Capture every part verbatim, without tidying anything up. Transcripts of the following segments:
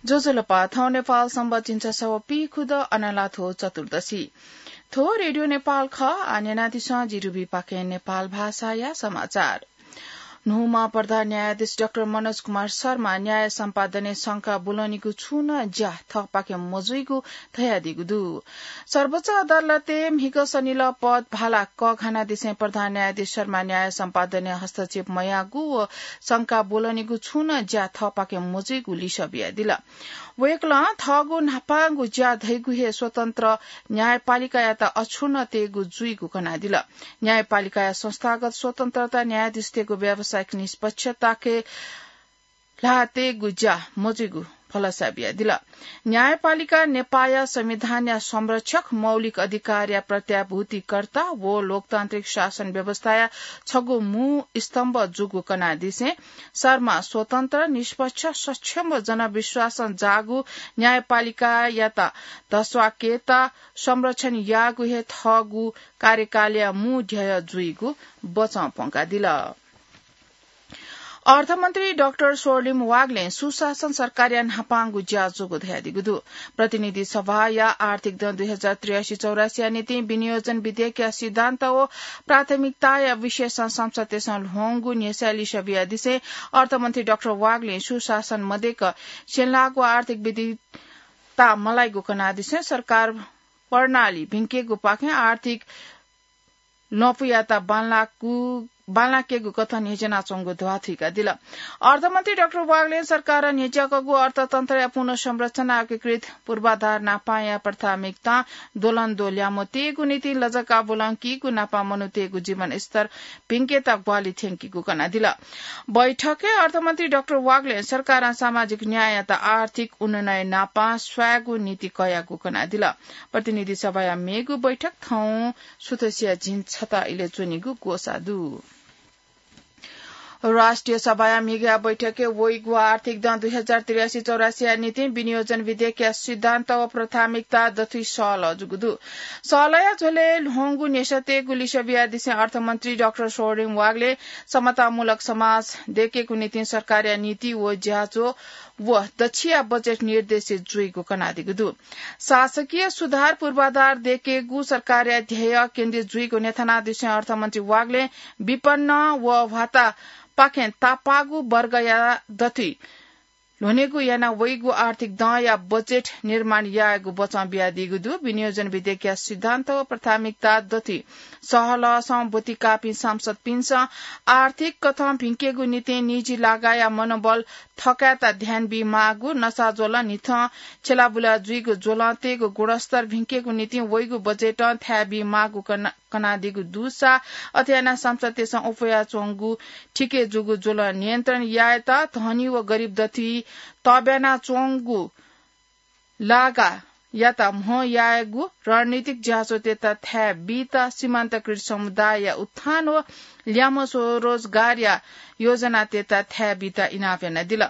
ज्वजलपा, थौं नेपाल संवत् झिंछसः व पीखुदँ अनाला थ्व चतुर्दशी। थ्व रेडियो नेपाल खः। आः न्यनादिसँ जि रुबी पाखें नेपाल भाषाया समाचार। न्हूम्ह प्रधान न्यायाधीश डाक्टर मनोज कुमार शर्मा न्याय सम्पादनय् शंका ब्वलनीगु छुं नं ज्या थःपाखें मजुइगु धयादीगु दु। सर्वोच्च अदालतय् म्हिगः सनिलः पद भाला कःघानादिसें प्रधान न्यायाधीश शर्मा न्याय सम्पादनय् हस्तक्षेप मयाःगु व शंका ब्वलनीगु छुं नं ज्या थःपाखें मजुइगु लिसः बियादिल। वय्कलं थःगु न्हापांगु ज्या धइगु हे स्वतन्त्र न्यायपालिकायात अक्षुण्ण तयेगु जुइगु कनादिल। न्यायपालिकाया संस्थागत स्वतन्त्रता न्यायाधीशतय्गु व्यावसायिक निष्पक्षताके ल्हाः तयेगु ज्या मजुइगु भलसा बियादिल। न्यायपालिका नेपाःया संविधानया संरक्षक, मौलिक अधिकारया प्रत्याभूतिकर्ता व लोकतान्त्रिक शासन व्यवस्थाया छगू मू स्तम्भ जूगु कनादिसें शर्मा स्वतन्त्र, निष्पक्ष, सक्षम व जनविश्वासं जाःगु न्यायपालिकायात धस्वाकेत संरक्षण याःगु हे थःगु कार्यकालया मू ध्येय जुइगु बचं प्वंकादिल। अर्थमन्त्री डाक्टर स्वर्णिम वाग्लें सुशासन सरकारया न्हापांगु ज्या जूगु धयादीगु दु। प्रतिनिधि सभाया आर्थिक दँ दुई हजार त्रियासी चौरासीया निंतिं विनियोजन विधेयकया सिद्धान्त व प्राथमिकताया विषयसं संसदय्सं ल्ह्वंगु न्ह्यसःया लिसः बियादिसें अर्थमन्त्री डाक्टर वाग्लें सुशासन मदय्क स्यंलाःगु आर्थिक विविधता मलाइगु कनादिसें सरकार प्रणाली भिंकेगुपाखें आर्थिक ल्वपुयात बांलाकु, बांलाकेगु कथं न्ह्यज्यानाच्वंगु ध्वाथुइकादिल। अर्थमन्त्री डाक्टर वाग्लें सरकारं न्ह्यज्याकूगु अर्थतन्त्रया पुनर्संरचना एकीकृत पूर्वाधार न्हापांया प्राथमिकतां द्वलंद्वः ल्याय्म्ह तयेगु निंतिं लजगाः ब्वलंकीगु, न्हापां मनूतय्गु जीवनस्तर भिंकेत ग्वाहालि थ्यंकीगु कनादिल। बैठकय् अर्थमन्त्री डाक्टर वाग्लें सरकारं सामाजिक न्याययात आर्थिक उन्नयन न्हापां स्वयेगु नीति कयागु कनादिल। प्रतिनिधि सभाया मेगु बैठक थौं सुथसिया झिंछता इलय् च्वनीगु ग्वसाः दु। राष्ट्रिय सभाया म्हिगःया बैठकय् वइगु आर्थिक दँ दुई हजार त्रियासी चौरासीया निंतिं विनियोजन विधेयकया सिद्धान्त व प्राथमिकता दथुइ सहलह जूगु दु। सहलहया झ्वलय् ल्ह्वंगु न्ह्यसः तयेगु लिसः बियादिसें अर्थमन्त्री डाक्टर स्वर्णिम वाग्लें समतामूलक समाज दयेकेगु निंतिं सरकारया नीति व ज्याझ्वः व दच्छिया बजेट निर्देशित जुइगु कनादीगु दु। शासकीय सुधार पूर्वाधार दयेकेगु सरकारया ध्येय केन्द्रित जुइगु न्ह्यथनादिसें अर्थमन्त्री वाग्लें विपन्न व ह्वातापाखें तापाःगु वर्गया दथुइ ल्ह्वनेगु याना वइगु आर्थिक दँया बजेट निर्माण यायेगु बचं बियादीगु दु। विनियोजन विधेयकया सिद्धान्त व प्राथमिकता दथुइ सहलहसं ब्वति काःपिं सांसदपिन्सं आर्थिक कथं भिंकेगु निंतिं निजी लागाया मनोबल थकायेत ध्यान बीमाःगु, नसा ज्वलं न्हिथं छ्यलाबुला जुइगु ज्वलंतय्गु गुणस्तर भिंकेगु निंतिं वइगु बजेटं थाय् बीमाःगु कना-, कनादीगु दुसा अथे यानाः सांसदतय्सं अप्वयाच्वंगु थिके जूगु ज्वलं नियन्त्रण यायेत, धनी व गरिब दथुइ तब्यानाच्वंगु लागायात म्हो यायेगु, रणनीतिक ज्याझ्वःतय्त थाय् बीत, सीमान्तकृत समुदायया उत्थान व ल्याय्म्ह स्वरोजगारया योजनातय्त थाय् बीत इनाप यानादिल।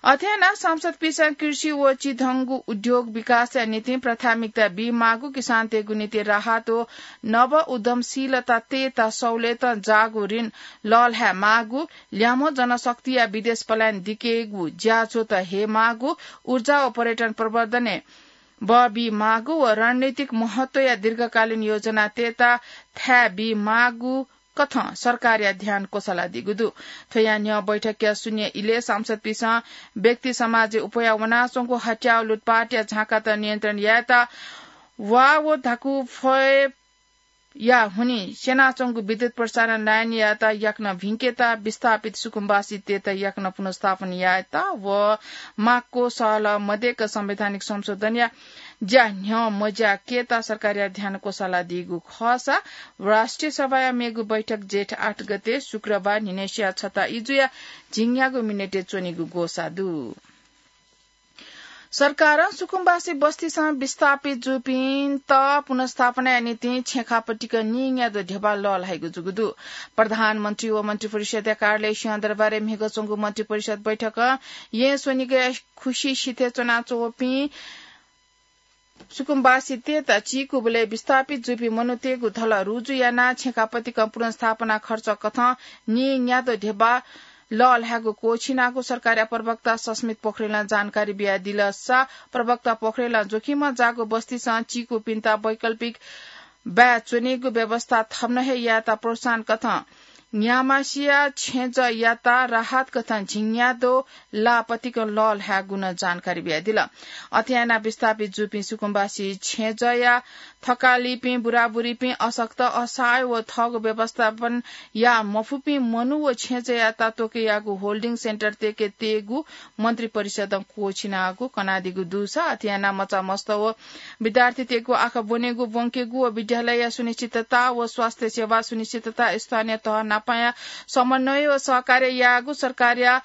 अथे यानाः सांसदपिन्सं कृषि व चिधंगु उद्योग विकासया निंतिं प्राथमिकता बीमाःगु, किसानतय्गु निंतिं राहत व नव उद्यमशीलता तयेत सहुलियतं जाःगु ऋण लःल्हायेमाःगु, ल्याय्म्ह जनशक्तिया विदेश पलायन दिकेगु ज्याझ्वःत हयेमाःगु, ऊर्जा व पर्यटन प्रवर्धनय् बः बीमाःगु व रणनीतिक महत्वया दीर्घकालीन योजनातय्त थाय् बीमाःगु कथं सरकारया ध्यान क्वसालादीगु दु। थ्वया न्ह्यः बैठकया शून्य इलय् सांसदपिन्सं व्यक्ति समाजय् अप्वया वनाच्वंगु हत्या व लुटपाटया झाँकात नियन्त्रण यायेत वा व धाकु फय् या हुनिं स्यनाच्वंगु विद्युत प्रसारण लाइनयात याकनं भिंकेत, विस्थापित सुकुम्बासीतय्त याकनं पुनर्स्थापन यायेत व माक्व सहलह मदय्क संवैधानिक संशोधनया ज्या न्ह्यः मज्याकेत सरकारया ध्यान क्वसालादीगु खःसा राष्ट्रिय सभाया मेगु बैठक जेठ आठ गते शुक्रबार न्हिनय्सिया छता इजुया झिंन्यागू मिनेटय् च्वनीगु ग्वसाः दु। सरकारं सुकुम्बासी बस्तीसं विस्थापित जूपिन्त पुनर्स्थापनाया निंतिं छेँखापतिक नीन्यादँ ध्यबा लःल्हाइगु जूगु दु। प्रधानमन्त्री व मन्त्रिपरिषदया कार्यालय सिंहदरबारय् म्हिगः च्वंगु मन्त्रिपरिषद बैठकं येँ स्वनिगःया खुसि सिथय् च्वनाच्वंपिं सुकुम्बासीतय्त चीकूबलय् विस्थापित जूपिं मनूतय्गु धलः रुजु यानाः छेँखापतिकं पुनर्स्थापना खर्च कथं नीन्यादँ ध्यबा लःल्हायेगु क्वःछिनागु सरकारया प्रवक्ता सस्मित पोखरेलं जानकारी बियादिल। सा प्रवक्ता पोखरेलं जोखिमं जाःगु बस्तीसं चीकूपिन्त वैकल्पिक बाय् च्वनीगु व्यवस्था थम्हं हे यायेत प्रोत्साहन कथं न्यामासिया छेँजःयात राहत कथं झिंन्यादँ ला पतिकं लःल्हायेगु नं जानकारी बियादिल। अथे यानाः विस्थापित जूपिं सुकुम्बासी छेँजःया थकालिपिं, बुराबुरीपिं, अशक्त, असहाय व थःगु व्यवस्थापन याये मफुपिं मनू व छेँजःयात त्वके याःगु होल्डिङ सेन्टर तयेकेत्ययेगु मन्त्रिपरिषदं क्वःछिनागु कनादीगु दुसा अथे यानाः मचामस्त व विद्यार्थीतय्‌गु आखः ब्वनेगु, ब्वंकेगु व विद्यालयया सुनिश्चितता व स्वास्थ्य सेवा सुनिश्चितता स्थानीय तह नापया समन्वय व सहकार्य याःगु सरकारया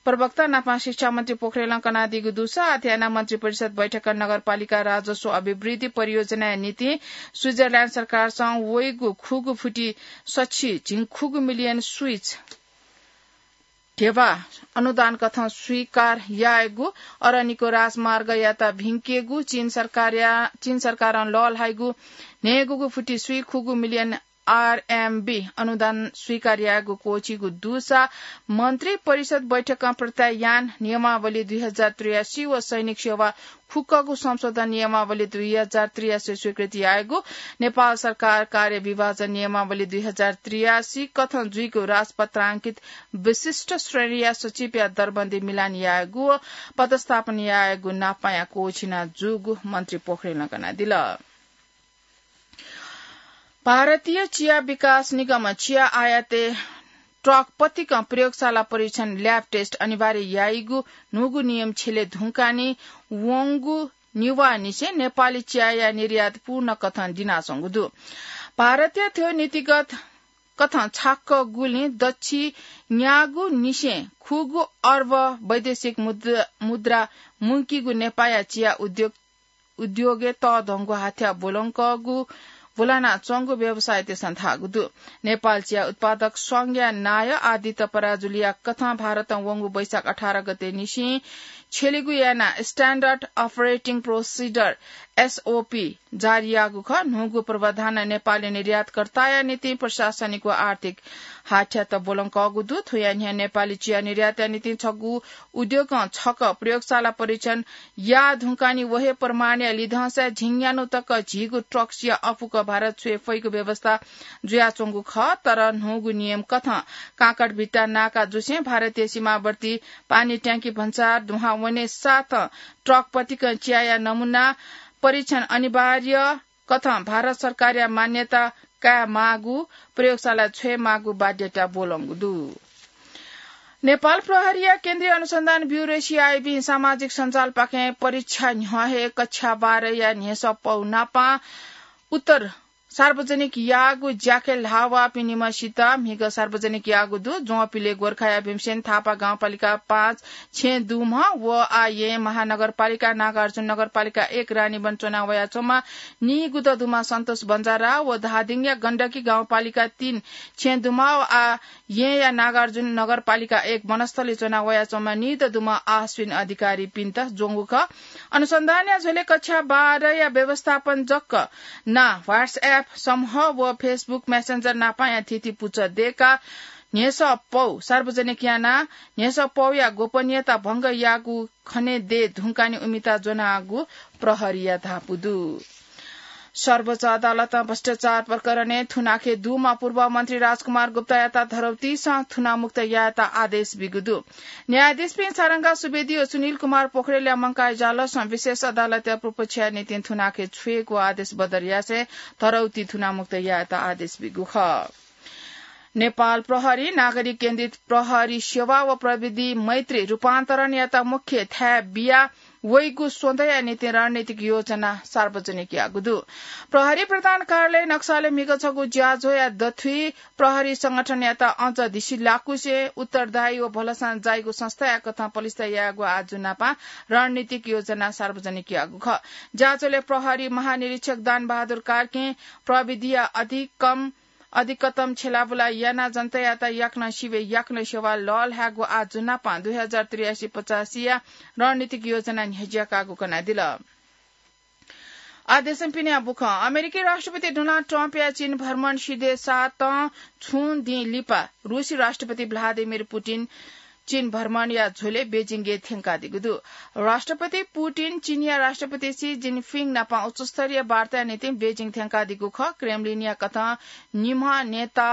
प्रवक्ता नापं शिक्षा मन्त्री पोखरेलं कनादीगु दुसा अथे यानाः मन्त्रिपरिषद बैठकं नगरपालिका राजस्व अभिवृद्धि परियोजनाया निंतिं स्विजरल्याण्ड सरकारसं वइगु खुगू फुति सछि झिंखुगू मिलियन स्विच धेबा अनुदान कथं स्वीकार यायेगु, अरनिको राजमार्गयात भिंकेगु, चीन सरकारया, चीन सरकारं लःल्हाइगु न्हय्‌गूगु फुति स्वीखुगू मिलियन आरएमबी अनुदान स्वीकार यायेगु क्वःछिगु दुसा मन्त्रिपरिषद बैठकं प्रत्यायान नियमावली दुई हजार त्रियासी व सैनिक सेवा खुक्कगु संशोधन नियमावली दुई हजार त्रियासी स्वीकृति यायेगु, नेपाल सरकार कार्य विभाजन नियमावली दुई हजार त्रियासी कथं जुइगु राजपत्रांकित विशिष्ट श्रेणीया सचिवया दरबन्दी मिलान यायेगु व पदस्थापन यायेगु नापया क्वःछिना जूगु मन्त्री पोखरेलं कनादिल। भारतीय चिया विकास निगमं चिया आयातय् ट्रक पतिकं प्रयोगशाला परीक्षण, ल्याब टेस्ट अनिवार्य याइगु न्हूगु नियम छ्यले धुंकाः नि वंगु निवाःनिसें नेपाली चियाया निर्यात पूर्ण कथं दिनाच्वंगु दु। भारतया थ्व नीतिगत कथं छाक्क गुलिं दच्छि न्यागू निसें खुगू अर्ब वैदेशिक मुद्रा, मुद्रा मुंकीगु नेपाःया चिया उद्योग उद्योगय् तःधंगु हाथ्या ब्वलंकःगु, ब्वलानाच्वंगु व्यवसायीतय्‌सं धाःगु दु। नेपाल चिया उत्पादक संघया नायः आदित्य पराजुलीया कथं भारतं वंगु वैशाख अठार गते निसें छ्यलिगु यानाः Standard Operating Procedure, एसओपी, जारी याःगु खः। न्हूगु प्रावधानं नेपाली निर्यातकर्ताया निंतिं प्रशासनिक व आर्थिक हाथ्यात ब्वलंकःगु दु। थुया न्ह्यः नेपाली चिया निर्यातया निंतिं छगू उद्योगं छकः प्रयोगशाला परीक्षण याः धुंकाः नि व हे प्रमाणया लिधंसाय् झिंन्यान्हु तक झीगु ट्रक चिया अपुक भारत छ्वये फइगु व्यवस्था जुयाच्वंगु खः। तर न्हूगु नियम कथं काँकडभिट्टा नाका जुसें भारतीय सीमावर्ती पानी ट्याङ्की भन्सार दुहां वने साथं ट्रक पतिकं चियाया नमूना परीक्षण अनिवार्य कथं भारत सरकारया मान्यता काये माःगु, प्रयोगशाला छ्वये माःगु बाध्यता ब्वलंगु दु। नेपाल प्रहरीया केन्द्रीय अनुसन्धान ब्युरो, सीआइबी, सामाजिक सञ्जालपाखें परीक्षा न्ह्यः हे कक्षा बाह्रया न्ह्यसः पौ नापं उत्तर सार्वजनिक याःगु ज्याखँय् ल्हाः वःपिं निम्हसित म्हिगः सार्वजनिक याःगु दु। ज्वंपिले गोर्खाया भीमसेन थापा गाउँपालिका पाँच छेँ दुम्ह व आः येँ महानगरपालिका नागार्जुन नगरपालिका एक रानीवन च्वना वयाच्वंम्ह नीगुदँ दुम्ह सन्तोष बन्जारा व धादिङया गण्डकी गाउँपालिका तीन छेँ दुम्ह व आः येँया नागार्जुन नगरपालिका एक वनस्थलय् च्वना वयाच्वंम्ह नीदँ दुम्ह आश्विन अधिकारीपिन्त ज्वंगु खः। अनुसन्धानया झ्वलय् कक्षा बाह्रया व्यवस्थापन जक ना WhatsApp समूह व Facebook Messenger नापंया थीथी पुचः दय्काः न्ह्यसः पौ सार्वजनिक यानाः न्ह्यसः पौया गोपनीयता भंग याःगु खनेदये धुंकाः नि उमिता ज्वनागु प्रहरीया धापू दु। सर्वोच्च अदालतं भ्रष्टाचार प्रकरणय् थुनाखे दुम्ह पूर्व मन्त्री राजकुमार गुप्तायात धरौतीसं थुनामुक्त यायेत आदेश बीगु दु। न्यायाधीशपिं सारंगा सुवेदी व सुनिल कुमार पोखरेलया मंकाः इजालसं विशेष अदालतया पूर्वपक्षया निंतिं थुनाखे छ्वयेगु आदेश बदर यासें धरौती थुनामुक्त यायेत आदेश बीगु खः। नेपाल प्रहरी नागरिक केन्द्रित प्रहरी सेवा व प्रविधि मैत्री रूपान्तरणयात मुख्य थाय् बिया वइगु स्वदँया निंतिं रणनीतिक योजना सार्वजनिक याःगु दु। प्रहरी प्रधान कार्यालय नक्सालय् म्हिगः छगू ज्याझ्वःया दथुइ प्रहरी संगठनयात अझ धिसिलाकुसे उत्तरदायी व भलसां जाइगु संस्थाया कथं पलिस्था यायेगु आजु नापं रणनीतिक योजना सार्वजनिक याःगु खः। ज्याझ्वलय् प्रहरी महानिरीक्षक दान बहादुर कार्कीं प्रविधिया अधिकम अधिकतम छ्यलाबुला यानाः जनतायात याकनं सिबय् याकनं सेवा लःल्हायेगु आजु नापं दुई हजार त्रियासी पचासीया रणनीतिक योजना न्ह्यज्याकागु कनादिल। आदेशं पिने बुखं अमेरिकी राष्ट्रपति डोनाल्ड ट्रम्पया चीन भ्रमण सिधे सातं छुं दिं लिपा रूसी राष्ट्रपति भ्लादिमिर पुतिन चीन भ्रमणया झ्वलय् बेजिङय् थ्यंकादीगु दु। राष्ट्रपति पुतिन चीनया राष्ट्रपति सी जिनपिङ नाप उच्चस्तरीय वार्ताया निंतिं बेजिङ थ्यंकादीगु खः। क्रेमलिनया कथं निम्ह नेता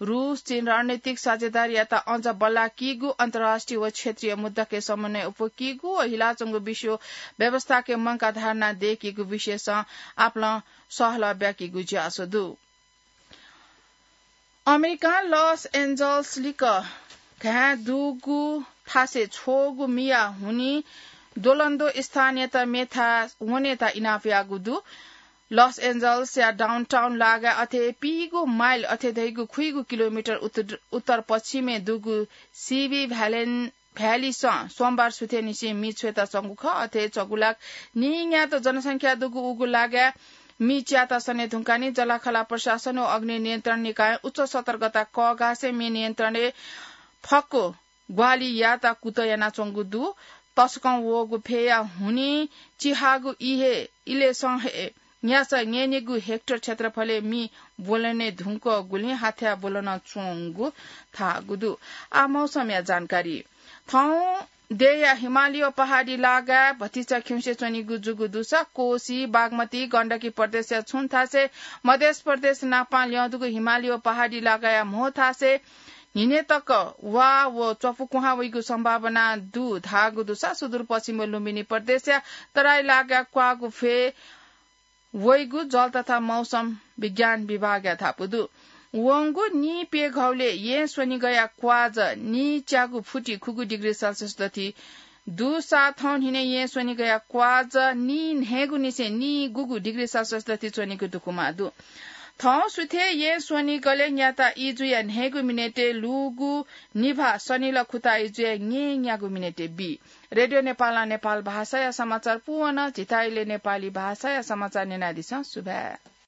रूस चीन रणनीतिक साझेदारीयात अझ बल्लाकीगु, अन्तर्राष्ट्रिय व क्षेत्रीय मुद्दाके समन्वय उपुकीगु व हिलाच्वंगु विश्व व्यवस्थाके मंका धारणा दय्कीगु विषयसं आपालं सहलह ब्याकीगु ज्यासो दु। अमेरिकां लस एन्जल्स लिक्क घाँय् दुगु थासय् छ्वःगु मिया हुनिं द्वलंद्व स्थानीयत मेथाय् वनेत इनाप याःगु दु। लस एन्जल्सया डाउनटाउन लागाय् अथे पीगु माइल अथे धइगु खुइगु किलोमिटर उत्तर, उत्तर पश्चिमय् दुगु सिभी भ्यालेन भ्यालीसं सोमबार सुथय् निसें मि छ्वयेत च्वंगु खः। अथे च्वगुलाक नीन्यात जनसंख्या दुगु उगु लागाय् मि च्यात सने धुंकानि जलाखला प्रशासन व अग्नि नियन्त्रण निकायं उच्च सतर्कता कःघासे मि नियन्त्रणय् फक्व ग्वाहालि यात कुतः यानाच्वंगु दु। तसकं वःगु फय्या हुनिं चिहागु इहे इलेसं हे न्यासः न्यय्निगु हेक्टर क्षेत्रफलय् मि ब्वलने धुंकःगुलिं हाथ्या ब्वलन च्वंगु धाःगु दु। आ मौसमया जानकारी। थौं देय्या हिमालय पहाडी लागाय् भतिचा खिउँसे च्वनीगु जूगु दुसा कोसी, बागमती, गण्डकी प्रदेशया छुं थासय्, मधेस प्रदेश नापां ल्यंदुगु हिमालय पहाडी लागाया म्हो थासय् न्हिने तक वा व च्वपुकुहां वइगु सम्भावना दु धाःगु दुसा सुदूरपश्चिम व लुम्बिनी प्रदेशया तराई लागाय् क्वाःगु फय् वइगु जल तथा मौसम विज्ञान विभागया धापू दु। वंगु नीप्यघौलय् येँ स्वनिगया क्वाज नीच्यागु फुति खुगू डिग्री सेल्सियस दथि दुसा थौं न्हिने येँ स्वनिगया क्वाज नीन्हय्गु निसें नीगुगु डिग्री सेल्सियस दथि च्वनीगु दुकुमा दु। थौं सुथय् येँ स्वनिगलय् न्याता इजुया न्हय्गु मिनेटय् लूगु निभाः सनिल खुता इजुया न्येन्यागु मिनेटय् बी। रेडियो नेपालं नेपाल भाषाया समाचार पूवन। झीथाय् इलय् नेपाली भाषाया समाचार न्यनादिसँ। सुभाय्।